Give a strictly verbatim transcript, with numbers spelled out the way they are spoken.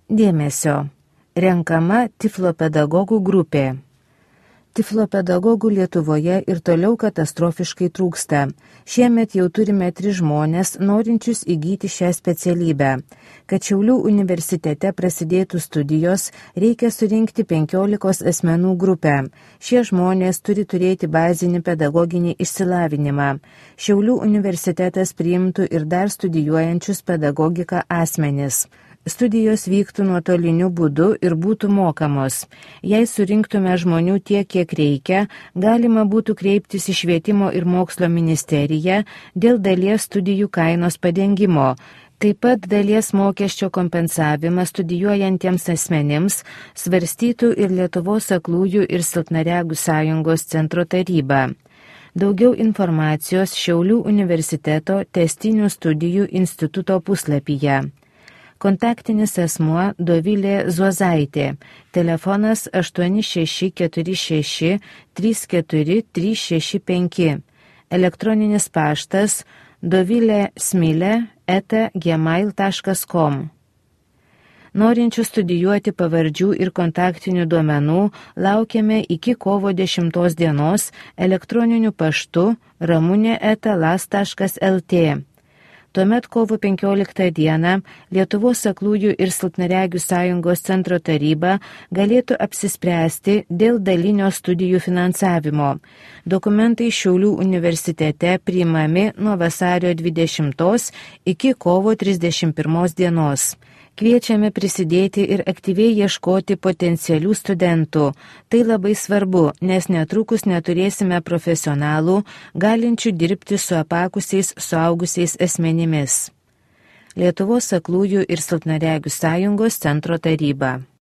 Dėmesio. Renkama tiflopedagogų grupė. Tiflopedagogų Lietuvoje ir toliau katastrofiškai trūksta. Šiemet jau turime tris žmonės, norinčius įgyti šią specialybę. Kad Šiaulių universitete prasidėtų studijos, reikia surinkti penkiolikos asmenų grupę. Šie žmonės turi turėti bazinį pedagoginį išsilavinimą. Šiaulių universitetas priimtų ir dar studijuojančius pedagogiką asmenis. Studijos vyktų nuotoliniu būdu ir būtų mokamos. Jei surinktume žmonių tiek, kiek reikia, galima būtų kreiptis į Švietimo ir mokslo ministeriją dėl dalies studijų kainos padengimo. Taip pat dalies mokesčio kompensavimą studijuojantiems asmenims svarstytų ir Lietuvos aklųjų ir silpnaregių sąjungos centro taryba. Daugiau informacijos Šiaulių universiteto tęstinių studijų instituto puslapyje. Kontaktinis asmuo Dovilė Zuozaitė, telefonas aštuoni šeši keturi šeši trys keturi trys šeši penki, elektroninis paštas dovilė smilė eta gmail taškas com. Norinčių studijuoti pavardžių ir kontaktinių duomenų laukiame iki kovo dešimtos dienos elektroniniu paštu ramunė eta las taškas lt. Tuomet kovo penkioliktą dieną Lietuvos aklųjų ir silpnaregių sąjungos centro taryba galėtų apsispręsti dėl dalinio studijų finansavimo. Dokumentai Šiaulių universitete priimami nuo vasario dvidešimtos iki kovo trisdešimt pirmos dienos. Kviečiame prisidėti ir aktyviai ieškoti potencialių studentų. Tai labai svarbu, nes netrukus neturėsime profesionalų, galinčių dirbti su apakusiais suaugusiais asmenimis. Lietuvos aklųjų ir silpnaregių sąjungos centro taryba.